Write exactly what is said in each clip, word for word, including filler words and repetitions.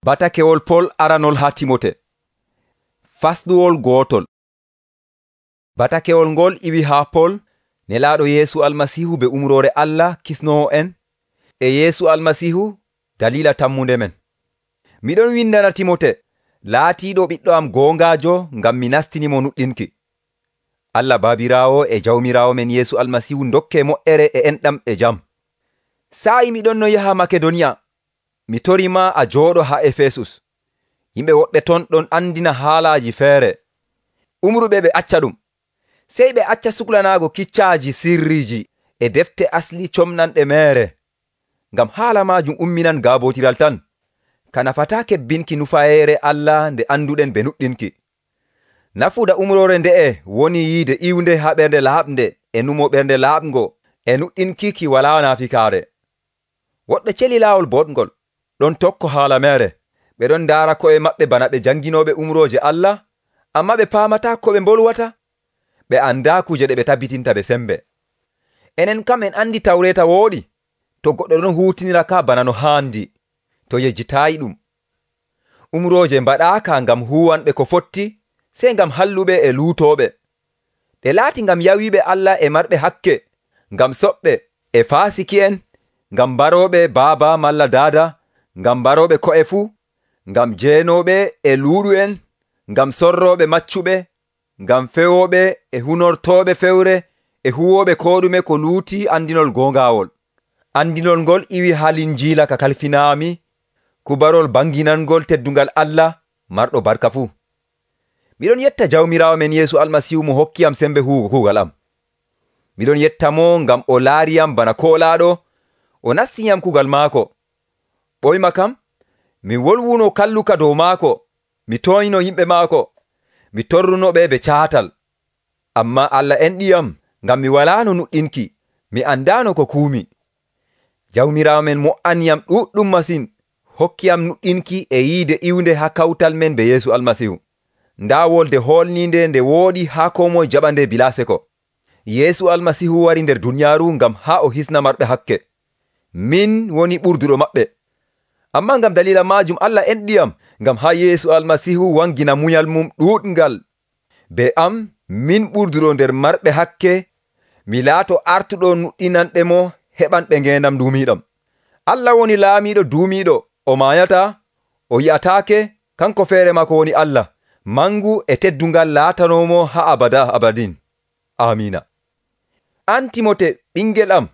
Batakewol Pol aranol haa Timote. Fasluwol gootol. Batakewol ngol iwi haa Pol, nelaaɗo Yeesu Almasiihu be umroore Allah kisnoowo en, e Yeesu Almasiihu dalila tammunde men. Miɗon windana Timote, laatiiɗo ɓiɗɗo am goongaajo ngam mi nastinimo nuɗɗinki. Allah Baabiraawo e Jawmiraawo men Yeesu Almasiihu dokke moƴƴere e enɗam e jam. Saa'i miɗon no yaha Makedoniya, mi torima a jooɗo haa Efesus. Yimɓe woɓɓe ton ɗon andina haalaaji feere. Umruɓe ɓe acca ɗum. Sey ɓe acca suklanaago kiccaaji sirriiji e defte asli comnanɗe meere. Ngam haala maajum umminan gaabotiral tan. Ka nafataa kebbinki nufayeere Allah nde anduɗen be nuɗɗinki. Nafuda umroore nde'e woni yiide iwnde haa ɓernde laaɓnde e numo ɓernde laaɓngo e nuɗɗinki ki walaa naafikaare. Woɗɓe celi laawol boɗngol ɗon tokko haala meere. Ɓe ɗon ndaara ko'e maɓɓe bana ɓe janginooɓe umrooje Allah, amma ɓe paamataa ko ɓe mbolwata. Ɓe andaa kuje ɗe ɓe tabbitinta ɓe sembe. Enen kam en andi tawreeta wooɗi, to goɗɗo ɗon huutinira ka bana no haandi, to yejjitaayi ɗum. Umrooje mbaɗaaka ngam huwanɓe ko fotti, sey ngam halluɓe e luutooɓe. Ɗe laati ngam yawiiɓe Allah e marɓe hakke, ngam soɓɓe e faasiki'en, ngam barooɓe baaba malla daada, ngam barooɓe ko'e fuu, ngam jeenooɓe e luuɗu'en, ngam sorrooɓe maccuɓe, ngam fewooɓe e hunortooɓe fewre e huwooɓe koo ɗume ko luuti andinol goongaawol. Andinol ngol iwi haa Linjiila ka kalfinaami, kubarol banginangol teddungal Allah marɗo barka fuu. Miɗon yetta Jawmiraawo men Yeesu Almasiihu mo hokkiyam sembe huwugo kuugal am. Miɗon yetta mo ngam o laariyam bana koolaaɗo, o nastiniyam kuugal maako. Ɓoyma kam, mi wolwuno kalluka dow maako, mi tooyno yimɓe maako, mi torrunoɓe be caatal. Amma Allah enɗiyam ngam mi walaano nuɗɗinki, mi andaano ko kuumi. Jawmiraawo men mo''aniyam ɗuɗɗum masin, hokkiyam nuɗɗinki e yiide iwnde haa kawtal men be Yeesu Almasiihu. Ndaa wolde hoolniinde nde wooɗi haa koo moye jaɓande bilaa seko. Yeesu Almasiihu wari nder duniyaaru ngam haa o hisna marɓe hakke. Min woni ɓurduɗo maɓɓe. Amma ngam dalila maajum Allah enɗiyam ngam haa Yeesu Almasiihu wangina munyal mum ɗuuɗngal. Be am, min ɓurduɗo nder marɓe hakke, mi laato artuɗo nuɗɗinanɓe mo heɓanɓe ngeendam duumiiɗam. Allah woni laamiiɗo duumiiɗo, o maayataa, o yi'ataake, kanko feere maako woni Allah, mangu e teddungal laatanoomo haa abada abadin. Amiina. An Timote, ɓingel am,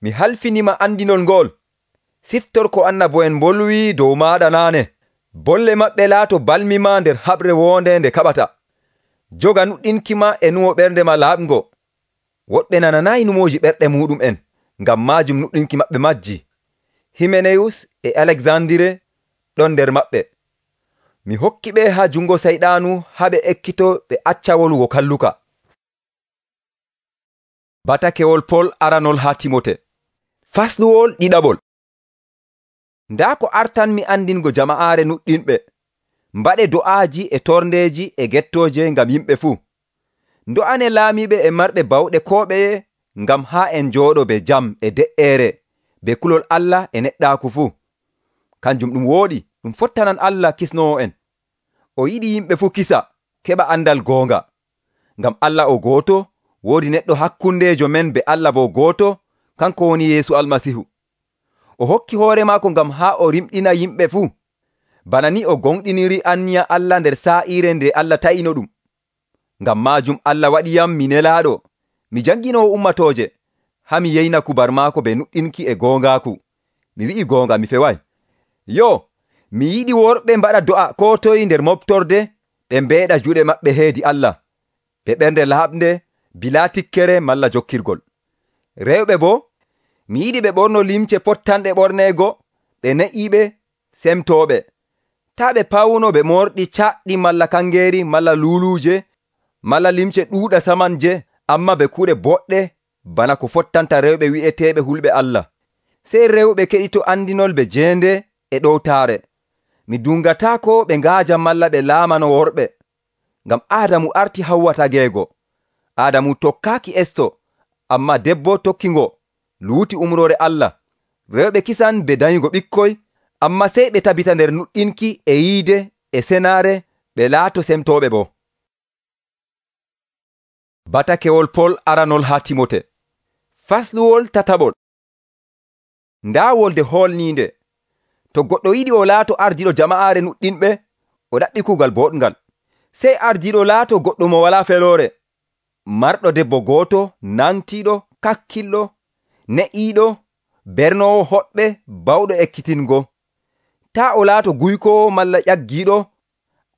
mi halfinima andinol ngol. Siftor ko annabo'en mbolwi dow maaɗa naane. Bolle maɓɓe laato balmima nder haɓre woonde nde kaɓata. Joga nuɗɗinki ma e numo ɓernde ma laaɓngo. Woɗɓe nananayi numooji ɓerɗe muɗum en, ngam maajum nuɗɗinki maɓɓe majji. Himeneyus e Alexandire ɗon nder maɓɓe. Mi hokki ɓe haa jungo sayɗaanu haa ɓe ekkito ɓe acca wolugo kalluka. Batakewol Pol aranol haa Timote. Fasluwol ɗiɗaɓol. Ndaa ko artanmi andingo jama'aare nuɗɗinɓe. Mbaɗe do'aaji e torndeeji e gettooje ngam yimɓe fuu. Ndo'ane laamiɓe e marɓe bawɗe koo ɓeye ngam haa en njooɗo be jam e de'eere be kulol Allah e neɗɗaaku fuu. Kanjum ɗum wooɗi, ɗum fottanan Allah kisnoowo en. O yiɗi yimɓe fuu kisa, keɓa andal goonga. Ngam Allah o gooto, woodi neɗɗo hakkundeejo men be Allah bo gooto, kanko woni Yeesu Almasiihu. O hokki hoore maako ngam haa o rimɗina yimɓe fuu. Bana ni o gonɗiniri anniya Allah nder saa'iire nde Allah ta'ino ɗum. Ngam maajum Allah waɗiyam mi nelaaɗo, mi janginoowo ummatooje, haa mi yeyna kubar maako be nuɗɗinki e goongaaku. Mi wi'i goonga mi feway. Yo, mi yiɗi worɓe mbaɗa do'a koo toye nder moftorde, ɓe mbeeɗa juuɗe maɓɓe heedi Allah, be ɓernde laaɓnde, bilaa tikkere malla jokkirgol. Rewɓe boo, mi yiɗi ɓe ɓorno limce pottanɗe ɓorneego, ɓe ne'iiɓe, semtooɓe. Taa ɓe pawno ɓe morɗi caɗɗi malla kangeeri malla luuluuje, malla limce ɗuuɗa samanje, amma ɓe kuuɗe boɗɗe bana ko fottanta rewɓe wi'eteeɓe hulɓe Allah. Sey rewɓe keɗito andinol be jeende e ɗowtaare. Mi dungataako ɓe ngaaja malla ɓe laamano worɓe. Ngam Aadamu arti Hawwa tageego. Aadamu tokkaaki esto, amma debbo tokkingo, luuti umroore Allah. Rewɓe kisan be danyugo ɓikkoy, Ammaa sey ɓe tabita nder nuɗɗinki e yiide e senaare ɓe laato semtooɓe boo. Batakewol Pol aranol haa Timote. Fasluwol tataɓol. Ndaa wolde hoolniinde. To goɗɗo yiɗi o laato ardiiɗo jama'aare nuɗɗinɓe, o ɗaɓɓi kuugal boɗngal. Sey ardiiɗo laato goɗɗo mo walaa feloore, marɗo debbo gooto, nangtiiɗo, kakkillo, ne'iiɗo, bernoowo hoɓɓe, bawɗo ekkitingo. Taa o laato guykowo malla ƴaggiiɗo,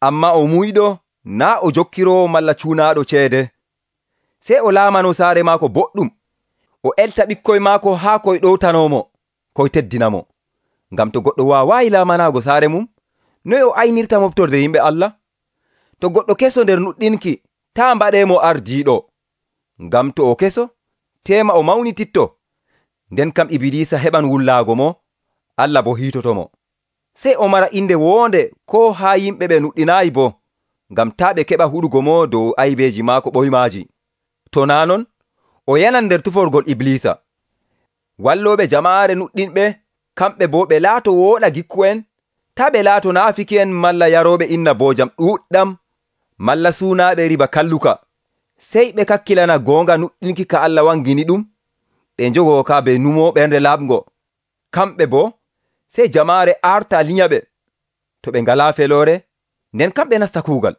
ammaa o muyɗo, naa o jokkiroowo malla cuunaaɗo ceede. Sey o laamano saare maako boɗɗum, o elta ɓikkoy maako haa koy ɗowtanoomo, koy teddinamo. Ngam to goɗɗo waawaayi laamanaago saare mum, noy o aynirta moftorde yimɓe Allah? To goɗɗo keso nder nuɗɗinki, taa mbaɗeemo ardiiɗo. Ngam to o keso, teema o mawnititto. Nden kam Ibilisa heɓan wullaago mo, Allah bo hiitotomo. Sey o mara inde woonde koo haa yimɓe ɓe nuɗɗinaayi boo, ngam taa ɓe keɓa huɗugo mo dow aybeeji maako ɓoymaaji. To naa non, o yanan nder tuforgol Iblisa. Wallooɓe jama'aare nuɗɗinɓe, kamɓe boo ɓe laato wooɗa gikku'en, taa ɓe laato naafiki'en malla yarooɓe inna boojam ɗuuɗɗam, malla suunaaɓe riba kalluka. Sey ɓe kakkilana goonga nuɗɗinki ka Allah wangini ɗum, ɓe njogoo ka be numo ɓernde laaɓngo. Kamɓe boo, sey jamaare arta liyaɓe. To ɓe ngalaa feloore, nden kamɓe nasta kuugal.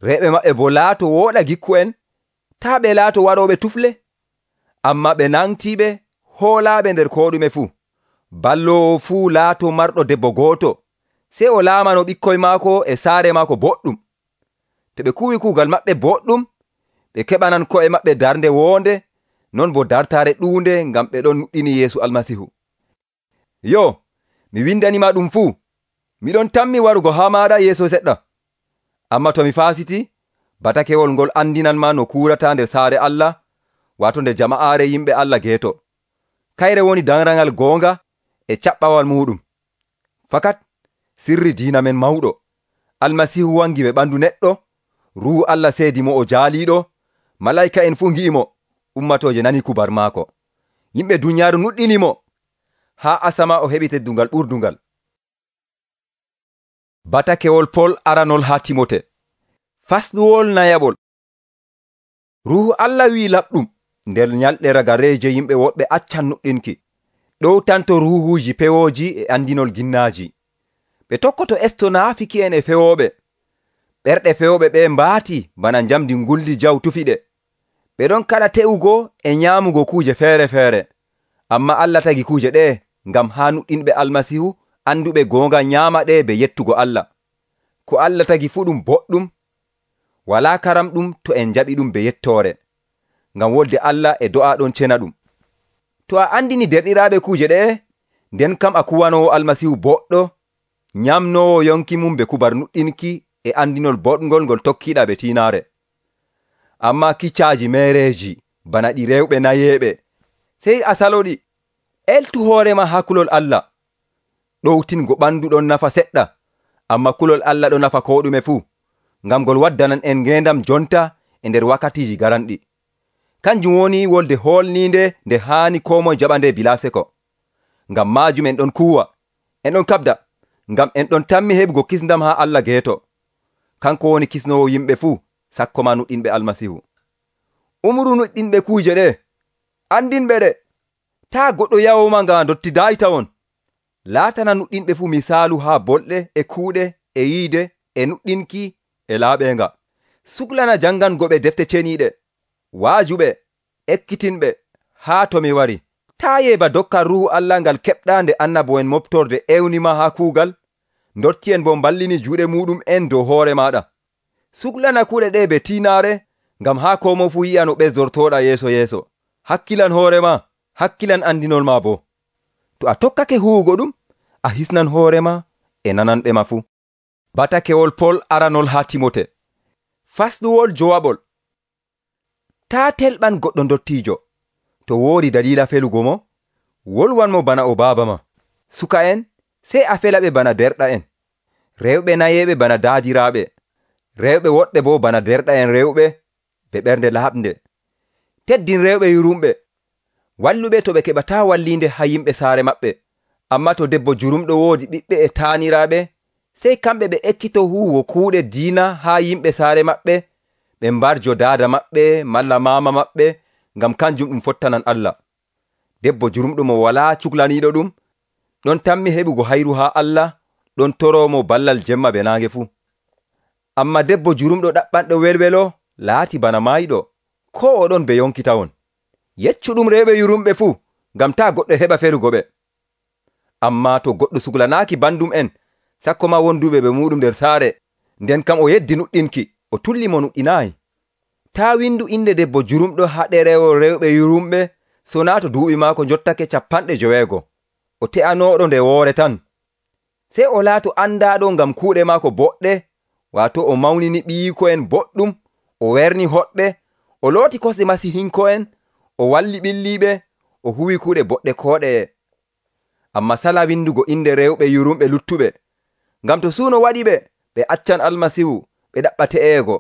Reeɓe maɓɓe boo laato wooɗa gikku'en, taa ɓe laato waɗooɓe tufle, ammaa ɓe nangtiiɓe, hoolaaɓe nder koo ɗume fuu. Balloowo fuu laato marɗo debbo gooto, sey o laamano ɓikkoy maako e saare maako boɗɗum. To ɓe kuwi kuugal maɓɓe boɗɗum, ɓe keɓanan ko'e maɓɓe darnde woonde, non bo dartaare ɗuunde ngam ɓe ɗon nuɗɗini Yeesu Almasihu. Yo, mi windanima ɗum fuu, miɗon tammi warugo haa maaɗa yeeso seɗɗa. Ammaa to mi faasiti, batakewol ngol andinanma no kuurata nder saare Allah, waato nder jama'aare yimɓe Allah geeto. Kayre woni danrangal goonga e caɓɓawal muɗum. Fakat sirri diina men mawɗo, Almasihu wangi ɓe ɓandu neɗɗo, Ruuhu Allah seedi mo o jaaliiɗo, malayika en fuu ngi'imo, ummatooje nani kubar maako. Yimɓe dunyaaru nuɗɗinimo, haa asama o heɓi teddungal ɓurdungal. Batakewol Pol aranol haa Timote. Fasluwol nayaɓol. Ruuhu Allah wi'i laɓɗum nder nyalɗe ragareeje yimɓe woɗɓe accan nuɗɗinki, ɗowtanto ruuhuuji pewooji e andinol ginnaaji. Ɓe tokkoto esto naafiki'en e fewooɓe. Ɓerɗe fewooɓe ɓe mbaati bana njamdi nguldi jaw tufiɗe. Ɓe ɗon kaɗa te'ugo e nyaamugo kuuje feere-feere. Amma Allah tagi kuuje ɗe ngam haa nuɗɗinɓe Almasihu anduɓe goonga nyaama ɗe be yettugo Allah. Ko Allah tagi fuu ɗum boɗɗum, walaa karamɗum to en njaɓi ɗum be yettoore, ngam wolde Allah e do'a ɗon cena ɗum. To a andini derɗiraaɓe kuuje ɗe, nden kam a kuwanoowo Almasihu boɗɗo, nyamnoowo yonki mum be kubar nuɗɗinki e andinol boɗngol ngol tokkiiɗa be tiinaare. Ammaa kiccaaji meereeji bana ɗi rewɓe nayeeɓe, sey a saloɗi. Eltu hoorema haa kulol Allah. Ɗowtingo ɓandu ɗon nafa seɗɗa, ammaa kulol Allah ɗon nafa koo ɗume fuu, ngam ngol waddanan en ngeendam jonta e nder wakkatiiji garanɗi. Kanjum woni wolde hoolniinde nde haani koo moye jaɓa nde bilaa seko. Ngam maajum en ɗon kuuwa, en ɗon kabda, ngam en ɗon tammi heɓugo kisndam haa Allah geeto. Kanko woni kisnowo yimɓe fuu, sakko ma nuɗɗinɓe Almasihu. Umru nuɗɗinɓe kuuje ɗe, andinɓe ɗe. Taa goɗɗo yawoma nga dottidaayi tawon. Laatana nuɗɗinɓe fuu misaalu haa bolɗe e kuuɗe e yiide e nuɗɗinki e laaɓeenga. Suklana jangangoɓe defte ceniiɗe, waajuɓe, ekkitinɓe, haa to mi wari. Taa yeeba dokkal Ruuhu Allah ngal keɓɗaa nde annabo'en moftorde ewnima haa kuugal, ndotti'en bo mballini juuɗe muɗum en dow hoore maaɗa. Suklana kuuɗe ɗe be tiinaare, ngam haa koo mo fuu yi'a no ɓesdortooɗa yeeso yeeso. Hakkilan hoorema, hakkilan andinol ma bo. To a tokkake huwugo ɗum, a hisnan hoorema e nananɓe ma fuu. Batakewol Pol aranol haa Timote. Fasluwol jowaɓol. Taa telɓan goɗɗo ndottiijo. To woodi dalila felugo mo, wolwanmo bana o baaba ma. Suka en, sey a felaɓe bana derɗa en. Rewɓe nayeeɓe bana daadiraaɓe. Rewɓe woɗɓe bo bana derɗa en rewɓe be ɓernde laaɓnde. Teddin rewɓe yurumɓe. Walluɓe to ɓe keɓataa walliinde haa yimɓe saare maɓɓe, Amma to debbo jurumɗo woodi ɓiɓɓe e taaniraaɓe, sey kamɓe ɓe ekkito huwugo kuuɗe diina haa yimɓe saare maɓɓe, ɓe mbarjo daada maɓɓe malla maama maɓɓe, ngam kanjum ɗum fottanan Allah. Debbo jurumɗo mo walaa cuklaniiɗo ɗum, ɗon tammi heɓugo hayru haa Allah, ɗon toroomo ballal jemma be naange fuu. Amma debbo jurumɗo ɗaɓɓanɗo welwelo laati bana maayiɗo, ko o ɗon be yonkitawon. Yeccuɗum rewɓe yurumɓe fuu, ngam taa goɗɗo heɓa felugo ɓe. Amma to goɗɗo suklanaaki bandum en, sakko ma wonduɓe ɓe muɗum nder saare, nden kam o yeddi nuɗɗinki, o tulli mo nuɗɗinaayi. Taa windu inde debbo jurumɗo haa ɗerewol rewɓe yurumɓe, so naa to duuɓi maako jottake capanɗe joweego. O te'anooɗo nde woore tan. Sey o laato andaaɗo ngam kuuɗe maako boɗɗe, waato o mawnini ɓiiyiko'en boɗɗum, o werni hoɗɓe, o looti kosɗe masihinko'en, o walli ɓilliiɓe, o huwi kuuɗe boɗɗe kooɗeye. Amma sala windugo inde rewɓe yurumɓe luttuɓe, ngam to suuno waɗi ɓe, ɓe accan Almasihu, ɓe ɗaɓɓa te'eego.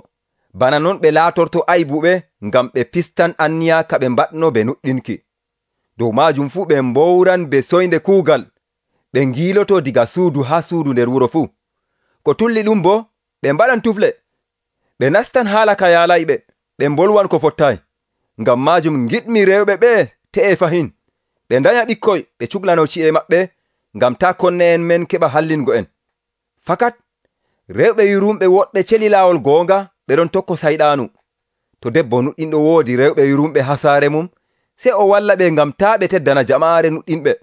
Bana non ɓe laatorto aybuɓe, ngam ɓe pistan anniya ka ɓe mbaɗno be nuɗɗinki. Dow maajum fuu ɓe mbowran be soynde kuugal, ɓe ngiiloto diga suudu haa suudu nder wuro fuu. Ko tulli ɗum bo, ɓe mbaɗan tufle, ɓe nastan haala ka yaalayɓe, ɓe mbolwan ko fottaay. Ngam maajum ngiɗmi rewɓe ɓe te'e fahin, ɓe ndanya ɓikkoy ɓe cuklano ci'e maɓɓe, ngam taa konne en men keɓa hallingo en. Fakat rewɓe yurumɓe woɗɓe celi laawol goonga, ɓe ɗon tokko sayɗaanu. To debbo nuɗɗinɗo woodi rewɓe yurumɓe haa saare mum, sey o walla ɓe ngam taa ɓe teddana jama'aare nuɗɗinɓe.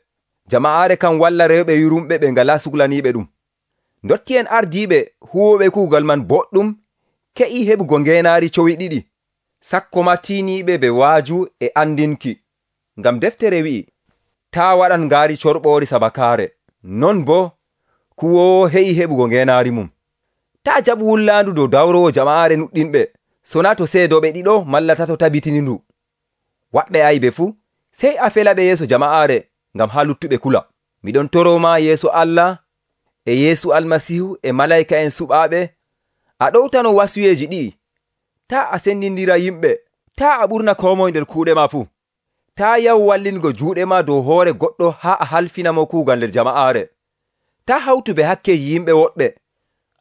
Jama'aare kan walla rewɓe yurumɓe ɓe ngalaa suklaniiɓe ɗum. Ndotti en ardiiɓe huwoɓe kuugal man boɗɗum ke'i heɓugo ngeenaari cowi ɗiɗi, sakko ma tiiniiɓe be waaju e andinki. Ngam deftere wi'i, taa waɗan ngaari corɓoori sabakaare, non boo kuwoowo he'i heɓugo ngeenaari mum. Taa jaɓu wullaandu dow dawrowo jama'aare nuɗɗinɓe, sonaa to seedoɓe ɗiɗo malla tato tabitini ndu. Waɗɓe aybe fuu, sey a felaɓe yeeso jama'aare, ngam haa luttuɓe kula. Miɗon toroma yeeso Allah e Yeesu Almasihu e malayka en suɓaaɓe, a ɗowtano wasuyeeji ɗi'i. Taa a sendindira yimɓe, taa a ɓurna koo moye nder kuuɗe ma fuu. Taa yahu wallingo juuɗe ma dow hoore goɗɗo haa a halfina mo kuugal nder jama'aare. Taa hawtu be hakkeeji yimɓe woɗɓe.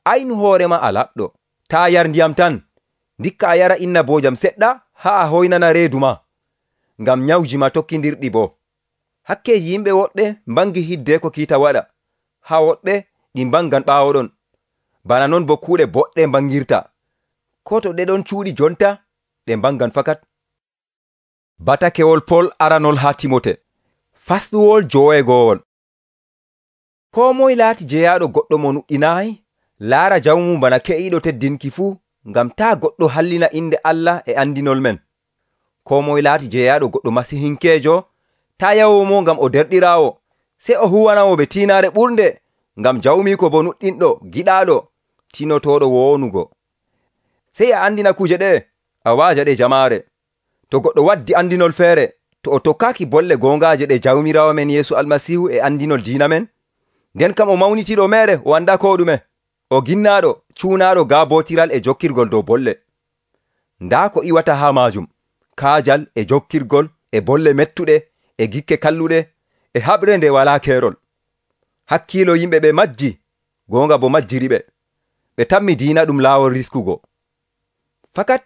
Aynu hoore ma a laɓɗo. Taa yar ndiyam tan, ndikka a yara innaboojam seɗɗa haa a hoynana reedu ma, ngam nyawji ma tokkindirɗi bo. Hakkeeji yimɓe woɗɓe mbangi hidde ko kiita waɗa, haa woɗɓe ɗi mbangan ɓaawo ɗon. Bana non bo kuuɗe boɗɗe mbangirta. Ko to ɗe ɗon cuuɗi jonta, ɗe mbangan fakat. Batakewol Pol aranol haa Timote, fasɗuwol joweegoowol. Koo moye laati jeyaaɗo goɗɗo mo nuɗɗinaayi, laara jawmu bana ke'iiɗo teddinki fuu, ngam taa goɗɗo hallina inde Allah e andinol men. Koo moye laati jeyaaɗo goɗɗo masihinkeejo, taa yawomo ngam o derɗiraawo, sey o huwanamo be tiinaare ɓurnde, ngam jawmiiko bo nuɗɗinɗo, giɗaaɗo, tinotooɗo woonugo. Sey a andina kuje ɗe, a waaja ɗe jamaare. To goɗɗo waddi andinol feere, to o tokkaaki bolle goongaaje ɗe jawmiraawo men Yeesu Almasihu e andinol diina men, nden kam o mawnitiiɗo meere o annda ko ɗume, o ginnaaɗo, cuunaaɗo gaabootiral e jokkirgol dow bolle. Ndaa ko iwata haa maajum, kaajal e jokkirgol e bolle mettuɗe e gikke kalluɗe e haɓre nde walaa keerol. Hakkiilo yimɓe ɓe majji, goonga bo majjiri ɓe. Ɓe tammi diina ɗum laawol riskugo. Fakat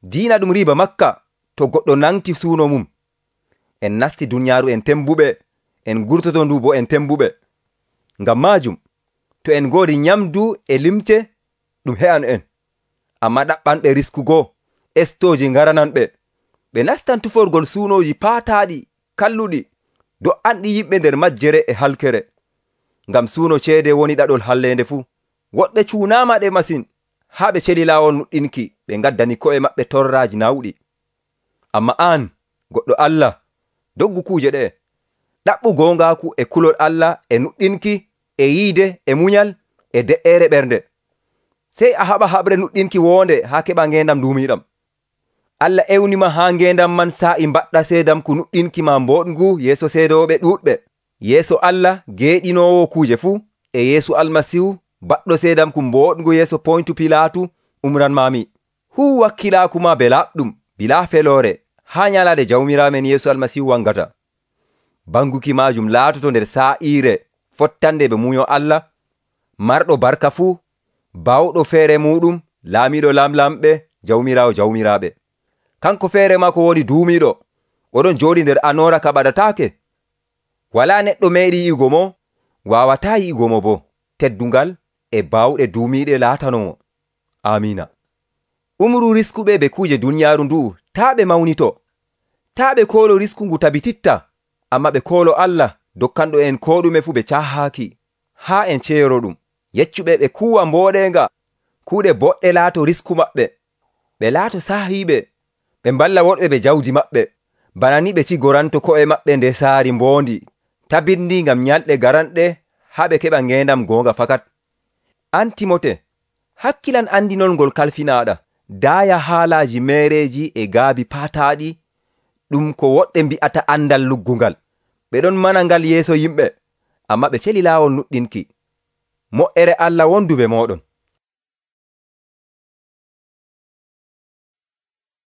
diina ɗum riiba makka to goɗɗo nangti suuno mum. En nasti duniyaaru en tembuɓe, en gurtoto ndu bo en tembuɓe. Ngam maajum, to en ngoodi nyamdu e limce, ɗum he'an en. Amma ɗaɓɓanɓe riskugo, estooji ngarananɓe. Ɓe nastan tuforgol suunooji paataaɗi, kalluɗi, do'anɗi yimɓe nder majjere e halkere. Ngam suuno ceede woni ɗaɗol halleende fuu. Woɗɓe cuunaama ɗe masin, haa ɓe celi laawol nuɗɗinki, ɓe ngaddani ko'e maɓɓe torraaji nawɗi. Amma aan, goɗɗo Allah, doggu kuuje ɗe, ɗaɓɓu goongaaku e kulol Allah e nuɗɗinki, e yiide, e munyal, e de'eere ɓernde. Sey a haɓa haɓre nuɗɗinki woonde haa keɓa ngeendam duumiiɗam. Allah ewnima haa ngeendam man saa'i mbaɗɗa seedamku nuɗɗinki ma mbooɗngu yeeso seedooɓe ɗuuɗɓe. Yeeso Allah geeɗinoowo kuuje fuu, e Yeesu Almasihu baɗɗo seedamku mbooɗngu yeeso Poyntu Pilaatu umranmaami. Huu wakkilaaku ma be laaɓɗum, bilaa feloore, haa nyalaade jawmiraamen Yeesu Almasihu wangata. banguki maajum laatoto nder saa'iire fottande ɓe munyo Allah, marɗo barka fuu, bawɗo feere muɗum, laamiɗo lamlamɓe, jawmiraawo jawmiraaɓe. Kanko feere maa ko woni duumiiɗo, oɗon jooɗi nder anoora ka ɓadataake. Walaa neɗɗo meeɗi yi'ugo mo, waawataa yi'ugo mo boo. Teddungal e bawɗe duumiiɗe laatanomo. Amiina. Umru riskuɓe be kuuje duniyaaru ndu'u taa ɓe mawnito. Taa ɓe koolo risku ngu tabititta, amma ɓe koolo Allah dokkanɗo en koo ɗume fuu ɓe caahaaki, haa en ceero ɗum. Yeccuɓe ɓe kuuwa mbooɗenga, kuuɗe boɗɗe laato risku maɓɓe. Ɓe laato saahiiɓe, ɓe mballa woɗɓe ɓe jawdi maɓɓe, bana ni ɓe cigoranto ko'e maɓɓe nder saari mboondi, tabindi ngam nyalɗe garanɗe haa ɓe keɓa ngeendam goonga fakat. An Timote, hakkilan andinol ngol kalfinaaɗa, daaya haalaaji meereeji e gaabi paataaɗi, ɗum ko woɗɓe mbi'ata andal luggungal. Ɓe ɗon mana ngal yeeso yimɓe, amma ɓe celi laawol nuɗɗinki. Mo'ere Allah wondu be mooɗon.